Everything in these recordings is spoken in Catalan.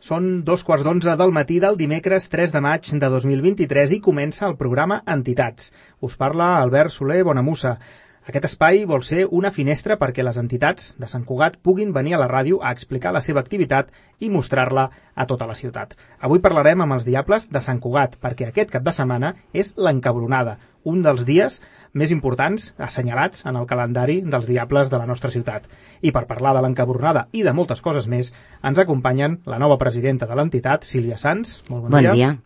Són 2:15 del matí del dimecres 3 de maig de 2023 i comença el programa Entitats. Us parla Albert Soler Bonamussa. Aquest espai vol ser una finestra perquè les entitats de Sant Cugat puguin venir a la ràdio a explicar la seva activitat i mostrar-la a tota la ciutat. Avui parlarem amb els Diables de Sant Cugat, perquè aquest cap de setmana és l'Encabronada, un dels dies més importants assenyalats en el calendari dels Diables de la nostra ciutat. I per parlar de l'Encabronada i de moltes coses més, ens acompanyen la nova presidenta de l'entitat, Sílvia Sans. Molt bon dia. Bon dia.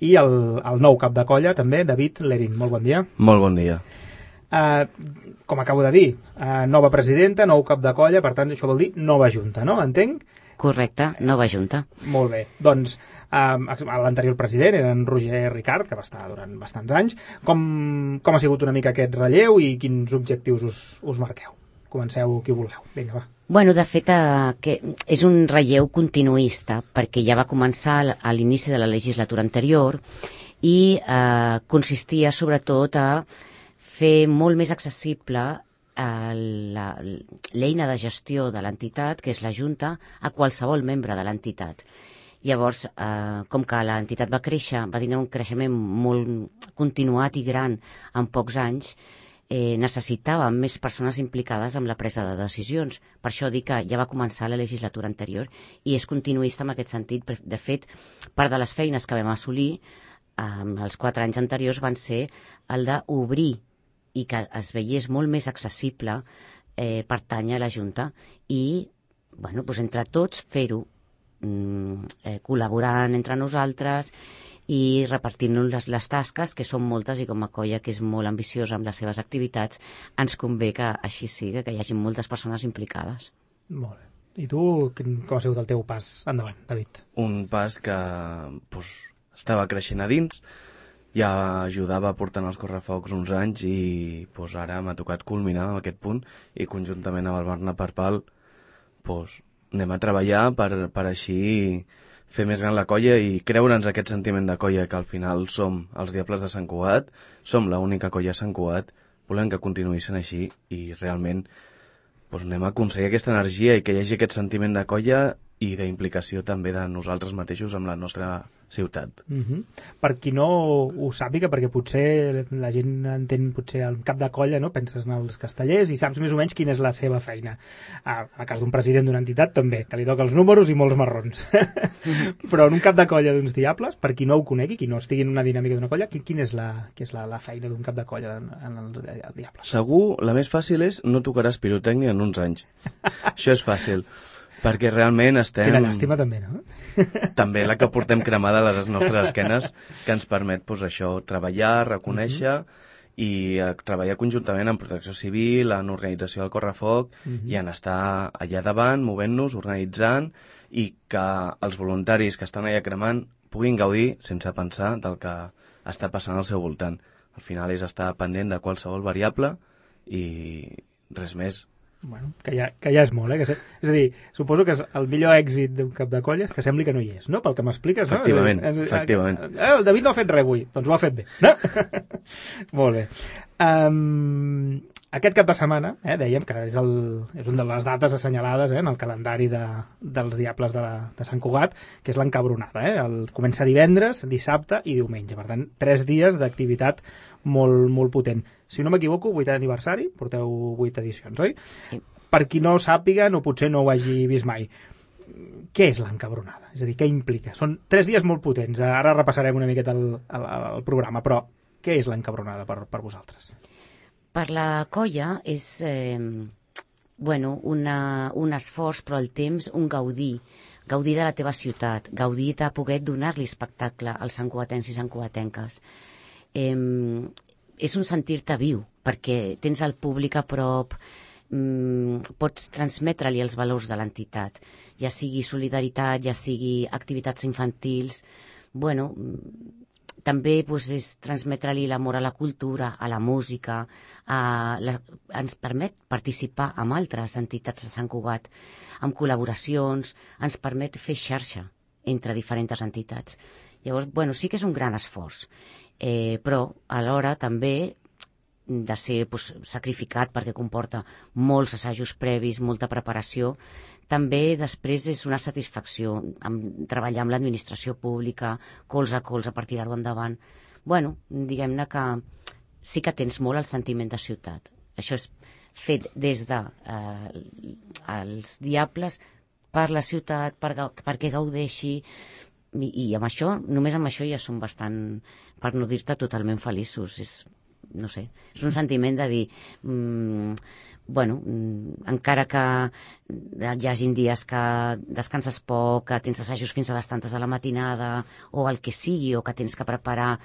I el nou cap de colla, també, David Lerín. Molt bon dia. Molt bon dia. Com acabo de dir, nova presidenta, nou cap de colla, per tant, això vol dir nova junta, no? Entenc? Correcte, nova junta. Molt bé. Doncs l'anterior president era en Roger Ricard, que va estar durant bastants anys. Com ha sigut una mica aquest relleu i quins objectius us marqueu? Comenceu qui vulgueu. Vinga, va. Bueno, de fet, que és un relleu continuista, perquè ja va començar a l'inici de la legislatura anterior i consistia sobretot a fer molt més accessible l'eina de gestió de l'entitat, que és la Junta, a qualsevol membre de l'entitat. Llavors, com que l'entitat va créixer, va tenir un creixement molt continuat i gran en pocs anys, necessitàvem més persones implicades en la presa de decisions. Per això dic que ja va començar la legislatura anterior i és continuista en aquest sentit. De fet, part de les feines que vam assolir els 4 anys anteriors van ser el d'obrir i que es veiés molt més accessible pertànyer a la Junta i, bueno, doncs entre tots fer-ho, col·laborant entre nosaltres i repartint-nos les tasques, que són moltes, i com a colla que és molt ambiciosa amb les seves activitats, ens convé que així sigui, que hi hagi moltes persones implicades. Molt bé. I tu, com ha sigut el teu pas endavant, David? Un pas que estava creixent a dins, ja ajudava portant els correfocs uns anys i ara m'ha tocat culminar aquest punt i conjuntament amb el Bernat Parpal anem a treballar per així fer més gran la colla i creure'ns aquest sentiment de colla, que al final som els Diables de Sant Cugat, som l'única colla a Sant Cugat, volem que continuï sent així i realment anem a aconseguir aquesta energia i que hi hagi aquest sentiment de colla i d'implicació també de nosaltres mateixos amb la nostra ciutat. Per qui no ho sàpiga, perquè potser la gent entén potser el cap de colla, no? Penses en els castellers i saps més o menys quina és la seva feina. En el cas d'un president d'una entitat també, que li toca els números i molts marrons. Però en un cap de colla d'uns Diables, per qui no ho conegui, qui no estigui en una dinàmica d'una colla, quina és la feina d'un cap de colla en els Diables? Segur, la més fàcil és no tocaràs pirotècnia en uns anys. Això és fàcil. Perquè realment estem... Quina llàstima també, no? També la que portem cremada a les nostres esquenes, que ens permet això, treballar, reconèixer i treballar conjuntament en protecció civil, en organització del correfoc i en estar allà davant, movent-nos, organitzant i que els voluntaris que estan allà cremant puguin gaudir sense pensar del que està passant al seu voltant. Al final és estar pendent de qualsevol variable i res més. Bueno, que ja és molt, És a dir, suposo que el millor èxit d'un cap de colla és que sembli que no hi és, no? Pel que m'expliques, no? Efectivament. El David no ha fet res avui, doncs ho ha fet bé, no? Molt bé. Aquest cap de setmana, dèiem que és una de les dates assenyalades en el calendari dels Diables de Sant Cugat, que és l'Encabronada. Comença divendres, dissabte i diumenge. Per tant, 3 dies d'activitat molt, molt potent. Si no m'equivoco, 8è aniversari, porteu 8 edicions, oi? Sí. Per qui no sàpiga, o potser no ho hagi vist mai, què és l'Encabronada? És a dir, què implica? Són 3 dies molt potents. Ara repassarem una miqueta el programa, però què és l'Encabronada per vosaltres? Per la colla és un esforç, però al temps un gaudir de la teva ciutat, gaudir de poder donar-li espectacle als santcugatencs i santcugatenques. És un sentir-te viu, perquè tens el públic a prop, pots transmetre-li els valors de l'entitat, ja sigui solidaritat, ja sigui activitats infantils. També és transmetre-li l'amor a la cultura, a la música, ens permet participar amb altres entitats de Sant Cugat, amb col·laboracions, ens permet fer xarxa entre diferents entitats. Llavors, sí que és un gran esforç, però alhora també de ser sacrificat perquè comporta molts assajos previs, molta preparació, també després és una satisfacció treballar amb l'administració pública, colze a colze per tirar-ho endavant. Bueno, diguem-ne que sí que tens molt el sentiment de ciutat. Això és fet des de els diables per la ciutat, perquè gaudeixi, i amb això, només amb això ja som bastant, per no dir-te totalment feliços. No sé, és un sentiment de dir encara que hi hagin dies que descanses poc, que tens assajos fins a les tantes de la matinada o el que sigui, o que tens que preparar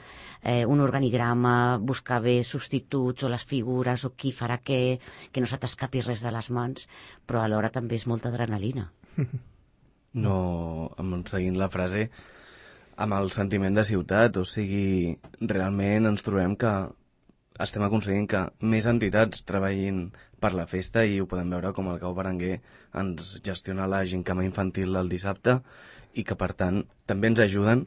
un organigrama, buscar bé substituts o les figures o qui farà què, que no se t'escapi res de les mans, però alhora també és molta adrenalina. No, seguint la frase, amb el sentiment de ciutat, o sigui, realment ens trobem que estem aconseguint que més entitats treballin per la festa, i ho podem veure com el Cau Berenguer ens gestiona la gincama infantil el dissabte, i que per tant també ens ajuden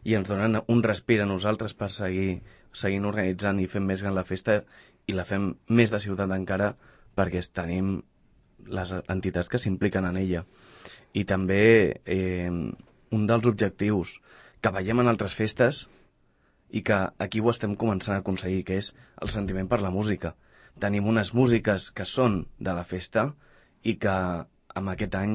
i ens donen un respir a nosaltres per seguint organitzant i fent més gran la festa, i la fem més de ciutat encara perquè tenim les entitats que s'impliquen en ella. I també un dels objectius que veiem en altres festes i que aquí ho estem començant a aconseguir, que és el sentiment per la música. Tenim unes músiques que són de la festa i que amb aquest any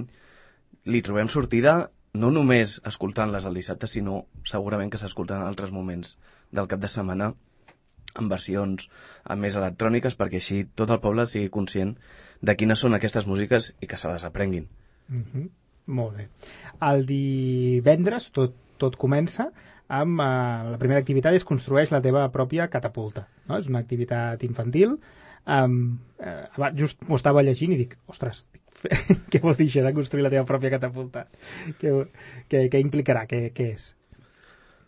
li trobem sortida no només escoltant-les el dissabte, sinó segurament que s'escolten en altres moments del cap de setmana en versions més electròniques, perquè així tot el poble sigui conscient de quines són aquestes músiques i que se les aprenguin. Molt bé. El divendres tot comença amb la primera activitat és construeix la teva pròpia catapulta, no? És una activitat infantil. Just m'ho estava llegint i dic, ostres, què vol dir això de construir la teva pròpia catapulta? Què implicarà? Què és?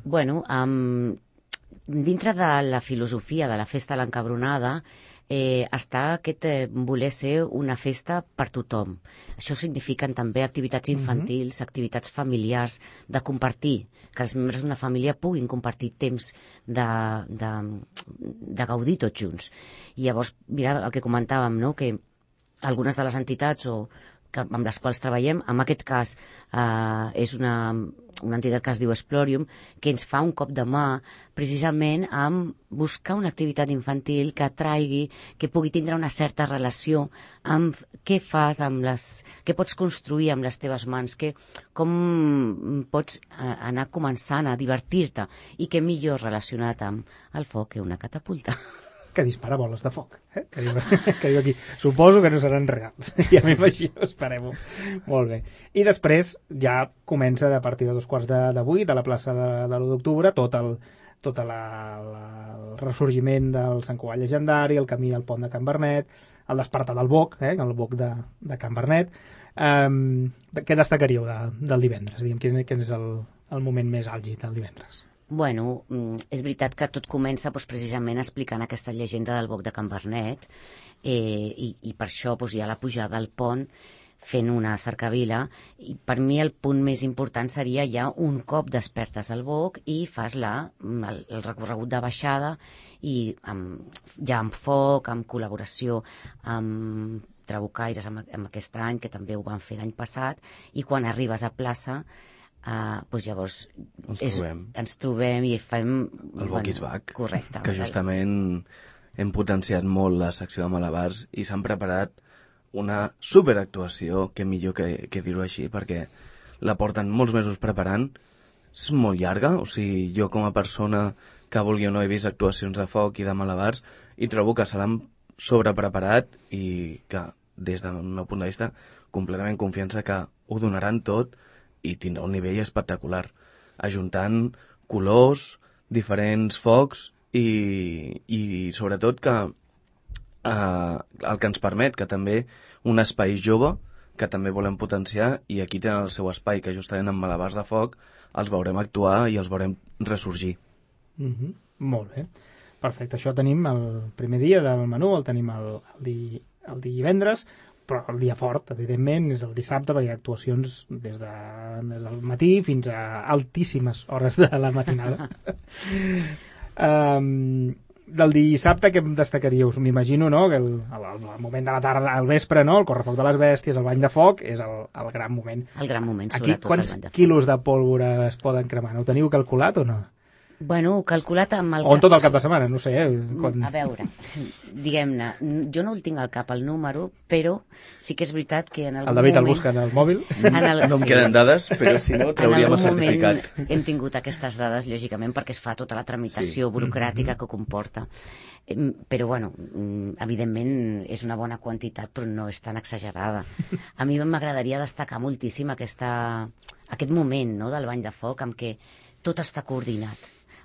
Bueno, dintre de la filosofia de la festa a l'encabronada està aquest voler ser una festa per tothom. Això signifiquen també activitats infantils, activitats familiars, de compartir, que els membres d'una família puguin compartir temps de gaudir tots junts. I llavors, mira el que comentàvem, no? Que algunes de les entitats amb les quals treballem, en aquest cas és una entitat que es diu Explorium, que ens fa un cop de mà precisament amb buscar una activitat infantil que atraigui, que pugui tindre una certa relació amb què fas, què pots construir amb les teves mans, com pots anar començant a divertir-te, i què millor relacionat amb el foc que una catapulta. Que dispara boles de foc, que diu aquí. Suposo que no seran reals. Ja m'imagino, esperem-ho. Molt bé. I després ja comença a partir de 7:45 de la plaça de l'1 d'octubre tot el ressorgiment del Sant Cugat llegendari, el camí al pont de Can Vernet, el despertar del Boc, el Boc de Can Vernet. Què destacaríeu del divendres? Quin és el moment més àlgid del divendres? Bueno, és veritat que tot comença precisament explicant aquesta llegenda del Boc de Can Vernet, i per això hi ha la pujada al pont fent una cercavila, i per mi el punt més important seria ja un cop despertes al Boc i fas el recorregut de baixada, i ja amb foc, amb col·laboració amb Trabucaires amb aquest any, que també ho van fer l'any passat, i quan arribes a plaça llavors ens trobem i fem el Boc is Back, correcte, que justament hem potenciat molt la secció de malabars i s'han preparat una superactuació, que millor que dir-ho així, perquè la porten molts mesos preparant. És molt llarga, o sigui, jo com a persona que vulgui o no he vist actuacions de foc i de malabars, i trobo que se l'han sobrepreparat i que des del meu punt de vista completament confiança que ho donaran tot i tindrà un nivell espectacular, ajuntant colors, diferents focs i sobretot que el que ens permet que també un espai jove que també volem potenciar, i aquí tenen el seu espai, que justament amb malabars de foc els veurem actuar i els veurem ressorgir. Molt bé, perfecte. Això tenim el primer dia del menú, el tenim el divendres, però el dia fort, evidentment, és el dissabte, perquè hi ha actuacions des del matí fins a altíssimes hores de la matinada. del dissabte, què em destacaríeu? M'imagino, no?, que el moment de la tarda, al vespre, no?, el correfoc de les bèsties, el bany de foc, és el gran moment. El gran moment, aquí, sobretot quants el bany de foc. quilos de pólvora es poden cremar? No ho teniu calculat o no? Bueno, calculat amb el... O en tot el cap de setmana, no sé. Quan... A veure, diguem-ne, jo no el tinc al cap el número, però sí que és veritat que en algun El David moment... el busca en el mòbil. No em queden dades, però si no trauríem el certificat. Hem tingut aquestes dades, lògicament, perquè es fa tota la tramitació burocràtica que comporta. Però, bueno, evidentment és una bona quantitat, però no és tan exagerada. A mi m'agradaria destacar moltíssim aquest moment, no?, del bany de foc, amb què tot està coordinat.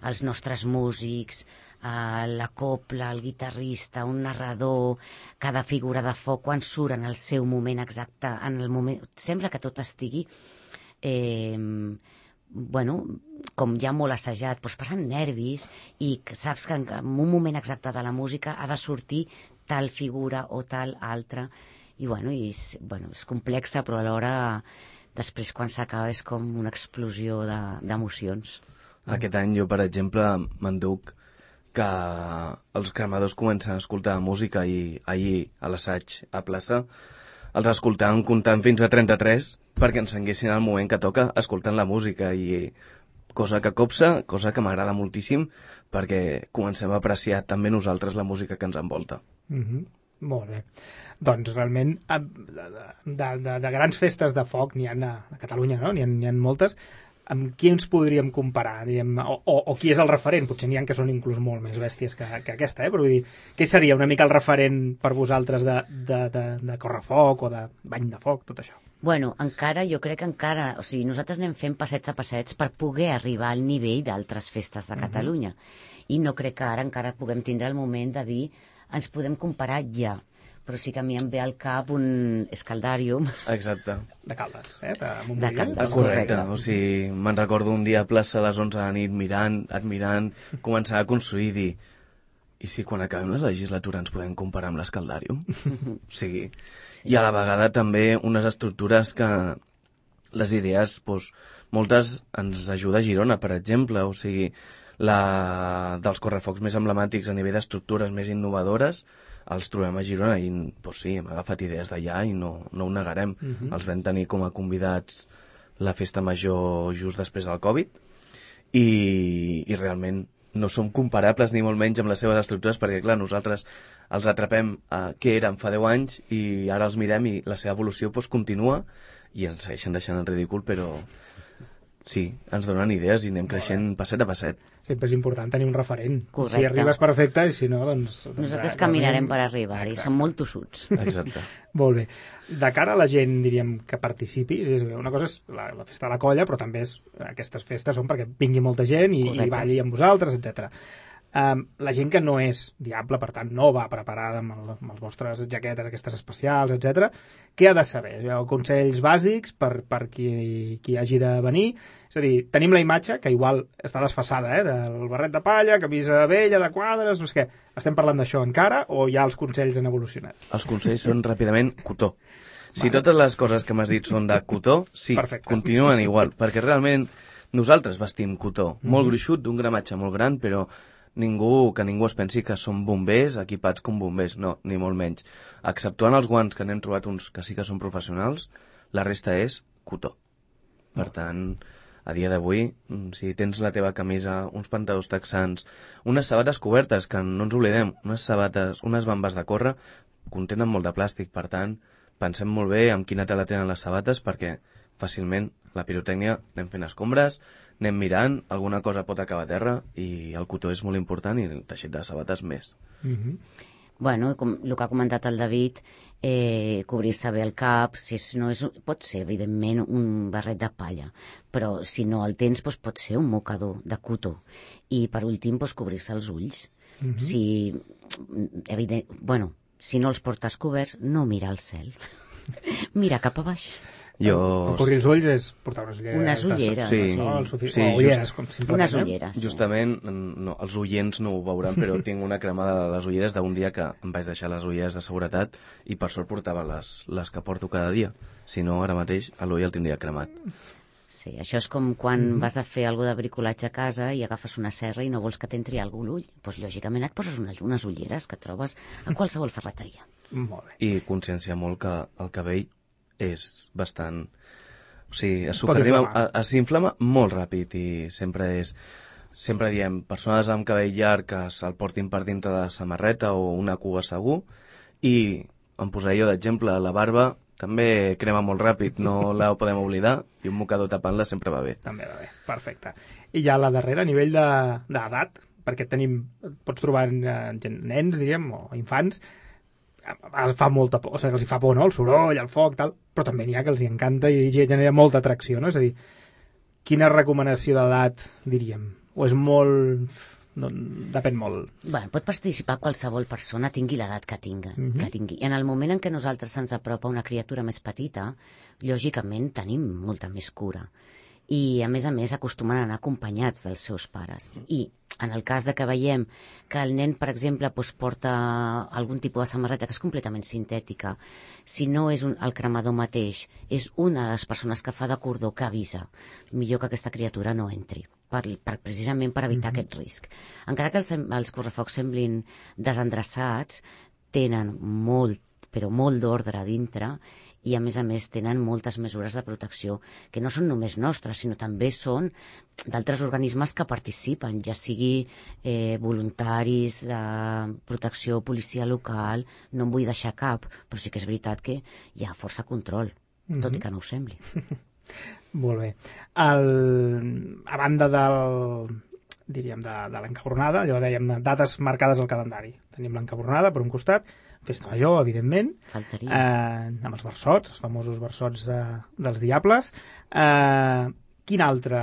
Els nostres músics, la copla, el guitarrista, un narrador, cada figura de foc, quan surt en el seu moment exacte, en el moment... Sembla que tot estigui, com ja molt assajat, doncs passen nervis i saps que en un moment exacte de la música ha de sortir tal figura o tal altra. I, és complexa, però alhora després quan s'acaba és com una explosió d'emocions. Aquest any jo, per exemple, m'enduc que els cremadors comencen a escoltar música i ahir a l'assaig a plaça els escoltàvem comptant fins a 33 perquè encenguessin el moment que toca escoltant la música i cosa que copsa, cosa que m'agrada moltíssim perquè comencem a apreciar també nosaltres la música que ens envolta. Molt bé. Doncs realment de grans festes de foc n'hi ha a Catalunya, no? N'hi ha moltes. Amb qui ens podríem comparar, diguem, o qui és el referent? Potser n'hi ha que són inclús molt més bèsties que aquesta, però vull dir, què seria una mica el referent per vosaltres de correfoc o de bany de foc, tot això? Bueno, jo crec que encara, o sigui, nosaltres anem fent passets a passets per poder arribar al nivell d'altres festes de Catalunya. I no crec que ara encara puguem tindre el moment de dir ens podem comparar ja. Però sí que a mi em ve al cap un escaldàrium. Exacte. De Caldes, De Caldes, correcte. O sigui, me'n recordo un dia a plaça a les 11 de la nit admirant, començar a construir i dir i si quan acabem la legislatura ens podem comparar amb l'escaldàrium? O sigui, sí. I a la vegada també unes estructures que les idees, doncs, moltes ens ajuda a Girona, per exemple, o sigui, dels correfocs més emblemàtics a nivell d'estructures més innovadores els trobem a Girona i doncs sí, hem agafat idees d'allà i no ho negarem. Els vam tenir com a convidats la festa major just després del Covid i realment no som comparables ni molt menys amb les seves estructures perquè clar, nosaltres els atrapem a què eren fa 10 anys i ara els mirem i la seva evolució doncs, continua i ens segueixen deixant en ridícul però sí, ens donen idees i anem creixent passet a passet. Sempre és important tenir un referent. Correcte. Si arribes perfecte i si no, doncs... Nosaltres caminarem per arribar-hi, som molt tossuts. Exacte. Molt bé. De cara a la gent, diríem, que participi, una cosa és la festa de la colla, però també aquestes festes són perquè vingui molta gent i balli amb vosaltres, etc. La gent que no és diable, per tant, no va preparada amb les vostres jaquetes, aquestes especials, etc. Què ha de saber? Consells bàsics per qui hagi de venir? És a dir, tenim la imatge, que igual està desfasada, del barret de palla, camisa vella, de quadres, no sé què. Estem parlant d'això encara o ja els consells han evolucionat? Els consells són ràpidament cotó. Si totes les coses que m'has dit són de cotó, sí, perfecte. Continuen igual, perquè realment nosaltres vestim cotó, molt gruixut, d'un gramatge molt gran, però que ningú es pensi que som bombers equipats com bombers, no, ni molt menys. Exceptuant els guants que n'hem trobat uns que sí que són professionals, la resta és cotó. Per tant, a dia d'avui, si tens la teva camisa, uns pantalons texans, unes sabates cobertes, que no ens oblidem, unes bambes de córrer, contenen molt de plàstic, per tant, pensem molt bé amb quina tela tenen les sabates perquè fàcilment la pirotècnia anem fent escombres, anem mirant, alguna cosa pot acabar a terra i el cotó és molt important i el teixit de sabates més. Bueno, com el que ha comentat el David, cobrir-se bé el cap, pot ser evidentment un barret de palla, però si no el tens pot ser un mocador de cotó i per últim cobrir-se els ulls. Si no els portes coberts, no mira al cel, mira cap a baix. Cobrir els ulls és portar unes ulleres. Ulleres, simplement. Unes ulleres. Justament, els oients no ho veuran, però tinc una cremada de les ulleres d'un dia que em vaig deixar les ulleres de seguretat i per sort portava les que porto cada dia. Si no, ara mateix l'ull el tindria cremat. Sí, això és com quan vas a fer alguna de bricolatge a casa i agafes una serra i no vols que t'entri algú l'ull. Doncs lògicament et poses unes ulleres que trobes a qualsevol ferreteria. Molt bé. I conscienciar molt que el cabell és bastant... O sigui, s'inflama molt ràpid i sempre diem, persones amb cabell llarg que se'l portin per dintre de samarreta o una cua segur, i em posaré jo d'exemple, la barba també crema molt ràpid, no la podem oblidar, i un mocador tapant-la sempre va bé. També va bé, perfecte. I ja la darrera, a nivell d'edat, perquè pots trobar nens, diríem, o infants, fa molta por, o sigui, els hi fa por, no?, el soroll, el foc, tal, però també n'hi ha que els hi encanta i genera molta atracció, no? És a dir, quina recomanació d'edat diríem? O és molt... No, depèn molt. Bueno, pot participar qualsevol persona, tingui l'edat que tingui. I en el moment en què nosaltres ens apropa una criatura més petita, lògicament tenim molta més cura. I, a més, acostumen a anar acompanyats dels seus pares. I, en el cas de que veiem que el nen, per exemple, porta algun tipus de samarreta que és completament sintètica, si no és el cremador mateix, és una de les persones que fa de cordó que avisa, millor que aquesta criatura no entri, precisament per evitar aquest risc. Encara que els correfocs semblin desendreçats, tenen molt, però molt d'ordre a dintre, i a més tenen moltes mesures de protecció que no són només nostres, sinó també són d'altres organismes que participen, ja sigui voluntaris de protecció, policia local, no en vull deixar cap, però sí que és veritat que hi ha força control, tot i que no ho sembli. Molt bé. A banda diríem, de l'encabronada, allò dèiem, dates marcades al calendari. Tenim l'encabronada per un costat, Festa Major, evidentment, amb els versots, els famosos versots dels diables. Quina altra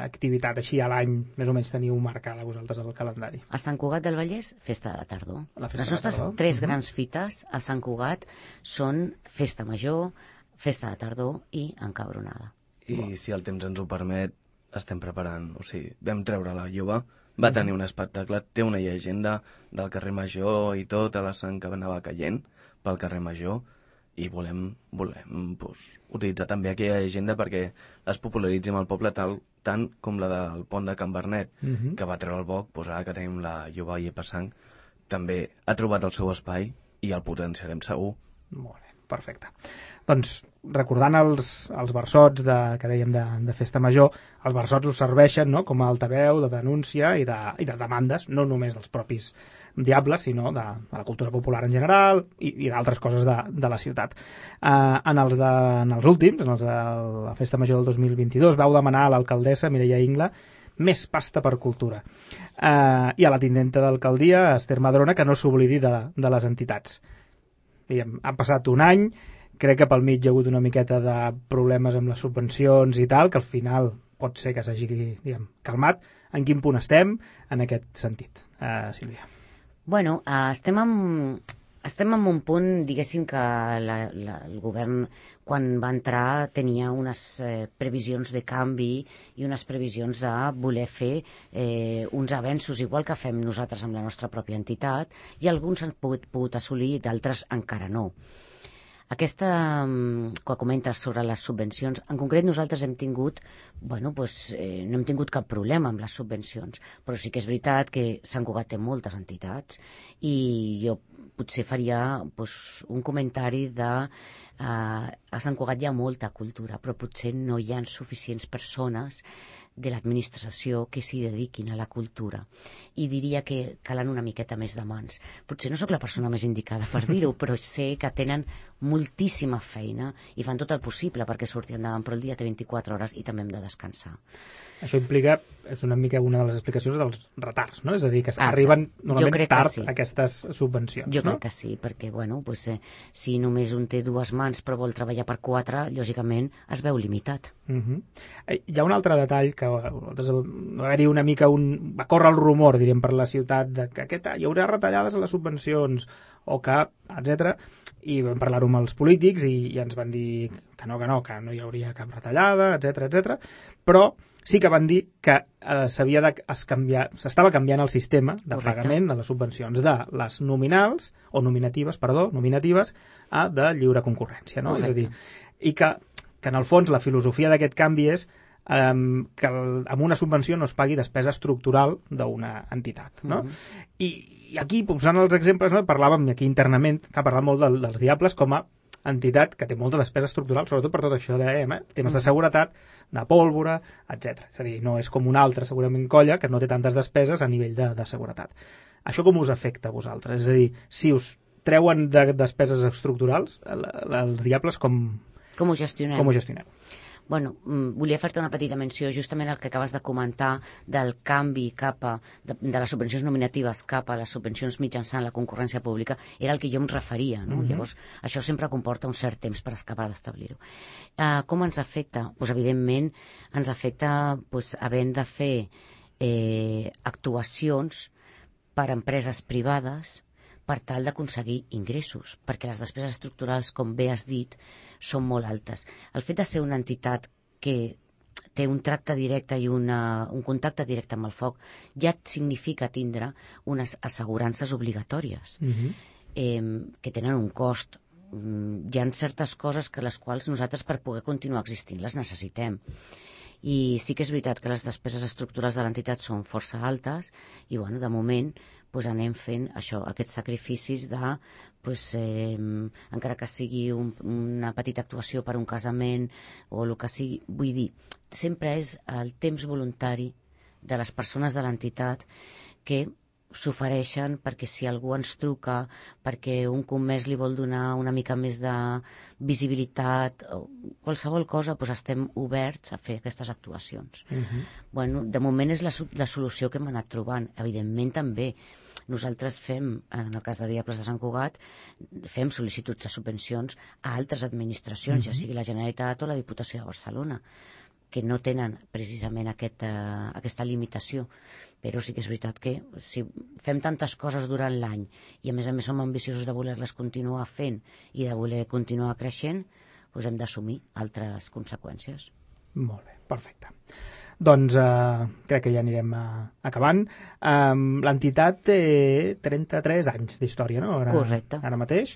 activitat així a l'any més o menys teniu marcada vosaltres al calendari? A Sant Cugat del Vallès, Festa de la Tardor. Les nostres tres grans fites a Sant Cugat són Festa Major, Festa de Tardor i encabronada. I si el temps ens ho permet, estem preparant, o sigui, vam treure la Lloba, va tenir un espectacle, té una llegenda del carrer Major i tot, a la sang que anava caient pel carrer Major, i volem utilitzar també aquella llegenda perquè es popularitzi amb el poble tant com la del pont de Can Bernet, que va treure el boc, doncs ara que tenim la Lloba i Passang, també ha trobat el seu espai i el potenciarem segur. Molt bé, perfecte. Doncs, recordant els versots que dèiem de Festa Major, els versots us serveixen, no?, com a altaveu de denúncia i de demandes, no només dels propis diables, sinó de la cultura popular en general i d'altres coses de la ciutat. En els últims, en els de la Festa Major del 2022, vau demanar a l'alcaldessa Mireia Ingla més pasta per cultura. I a la tinenta d'alcaldia, Esther Madrona, que no s'oblidi de les entitats. Ha passat un any, crec que pel mig hi ha hagut una miqueta de problemes amb les subvencions i tal, que al final pot ser que s'hagi calmat. En quin punt estem en aquest sentit, Sílvia? Bueno, estem en un punt, diguéssim, que el govern, quan va entrar, tenia unes previsions de canvi i unes previsions de voler fer uns avenços, igual que fem nosaltres amb la nostra pròpia entitat, i alguns han pogut assolir, d'altres encara no. Aquesta, que comentes sobre les subvencions, en concret nosaltres hem tingut, no hem tingut cap problema amb les subvencions, però sí que és veritat que Sant Cugat té moltes entitats i jo potser faria un comentari de a Sant Cugat hi ha molta cultura, però potser no hi ha suficients persones de l'administració que s'hi dediquin a la cultura. I diria que calen una miqueta més de mans. Potser no sóc la persona més indicada per dir-ho, però sé que tenen moltíssima feina i fan tot el possible perquè surti endavant, però el dia té 24 hores i també hem de descansar. Això implica, és una mica una de les explicacions dels retards, no? És a dir, que arriben normalment tard aquestes subvencions. Jo crec que sí, perquè si només un té dues mans però vol treballar per 4, lògicament es veu limitat. Hi ha un altre detall que va haver-hi una mica va córrer el rumor, diríem, per la ciutat de que hi haurà retallades a les subvencions o que, etc. I vam parlar-ho amb els polítics i ens van dir que no hi hauria cap retallada, etc. Però sí que van dir que s'estava canviant el sistema de pagament de les subvencions de les nominatives a de lliure concurrència, no? És a dir, i que que en el fons la filosofia d'aquest canvi és que amb una subvenció no es pagui despesa estructural d'una entitat, no? I aquí, posant els exemples, no, parlàvem aquí internament, que ha parlat molt dels Diables com a entitat que té molta despesa estructural, sobretot per tot això de temes de seguretat, de pólvora, etc. És a dir, no és com una altra, segurament, colla que no té tantes despeses a nivell de seguretat. Això com us afecta a vosaltres? És a dir, si us treuen de despeses estructurals, els Diables com ho gestionem? Com ho gestioneu? Bueno, volia fer-te una petita menció, justament el que acabes de comentar del canvi de les subvencions nominatives cap a les subvencions mitjançant la concurrència pública, era el que jo em referia, no? Llavors, això sempre comporta un cert temps per acabar d'establir-ho. Com ens afecta? Pues, evidentment, ens afecta havent de fer actuacions per a empreses privades per tal d'aconseguir ingressos, perquè les despeses estructurals, com bé has dit, són molt altes. El fet de ser una entitat que té un tracte directe i un contacte directe amb el foc ja significa tindre unes assegurances obligatòries que tenen un cost. Hi ha certes coses que les quals nosaltres per poder continuar existint les necessitem. I sí que és veritat que les despeses estructurals de l'entitat són força altes i, bueno, de moment anem fent això, aquests sacrificis de, encara que sigui una petita actuació per un casament o el que sigui, vull dir, sempre és el temps voluntari de les persones de l'entitat que s'ofereixen perquè si algú ens truca, perquè un comès li vol donar una mica més de visibilitat o qualsevol cosa, estem oberts a fer aquestes actuacions. Bueno, de moment és la solució que hem anat trobant. Evidentment també nosaltres fem, en el cas de Diables de Sant Cugat, fem sol·licituds de subvencions a altres administracions, ja sigui la Generalitat o la Diputació de Barcelona, que no tenen precisament aquesta limitació. Però sí que és veritat que si fem tantes coses durant l'any i a més som ambiciosos de voler-les continuar fent i de voler continuar creixent, hem d'assumir altres conseqüències. Molt bé, perfecte. Doncs crec que ja anirem acabant. L'entitat té 33 anys d'història, no? Correcte. Ara mateix.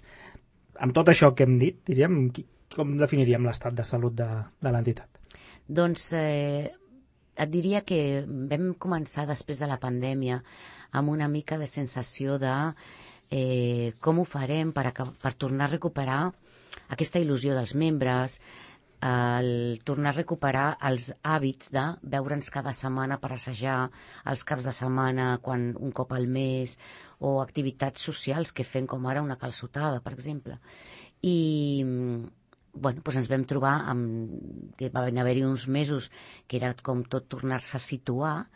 Amb tot això que hem dit, diríem, com definiríem l'estat de salut de l'entitat? Doncs et diria que vam començar després de la pandèmia amb una mica de sensació de com ho farem per tornar a recuperar aquesta il·lusió dels membres, tornar a recuperar els hàbits de veure'ns cada setmana per assajar, els caps de setmana un cop al mes, o activitats socials que fem com ara una calçotada, per exemple. I ens vam trobar que van haver-hi uns mesos que era com tot tornar-se a situar,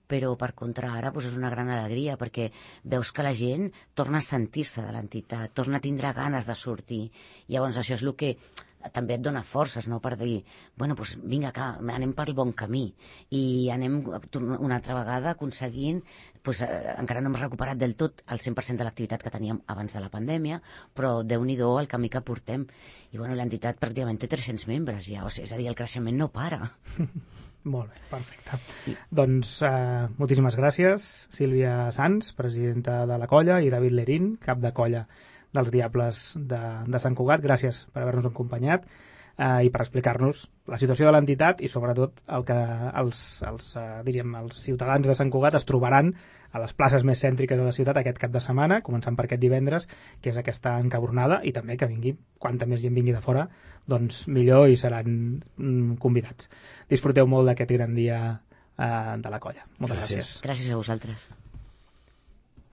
però per contra ara és una gran alegria perquè veus que la gent torna a sentir-se de l'entitat, torna a tindre ganes de sortir. Llavors això és el que també et dona forces, no? Per dir, vinga, anem pel bon camí i anem una altra vegada aconseguint, encara no hem recuperat del tot el 100% de l'activitat que teníem abans de la pandèmia, però Déu-n'hi-do el camí que portem. I l'entitat pràcticament té 300 membres ja, és a dir, el creixement no para. Molt bé, perfecte. Doncs moltíssimes gràcies, Sílvia Sans, presidenta de la colla, i David Lerín, cap de colla dels Diables de Sant Cugat. Gràcies per haver-nos acompanyat i per explicar-nos la situació de l'entitat i sobretot el que els ciutadans de Sant Cugat es trobaran a les places més cèntriques de la ciutat aquest cap de setmana, començant per aquest divendres, que és aquesta encabronada, i també que vingui, quanta més gent vingui de fora, doncs millor i seran convidats. Disfruteu molt d'aquest gran dia de la colla. Moltes gràcies. Gràcies a vosaltres.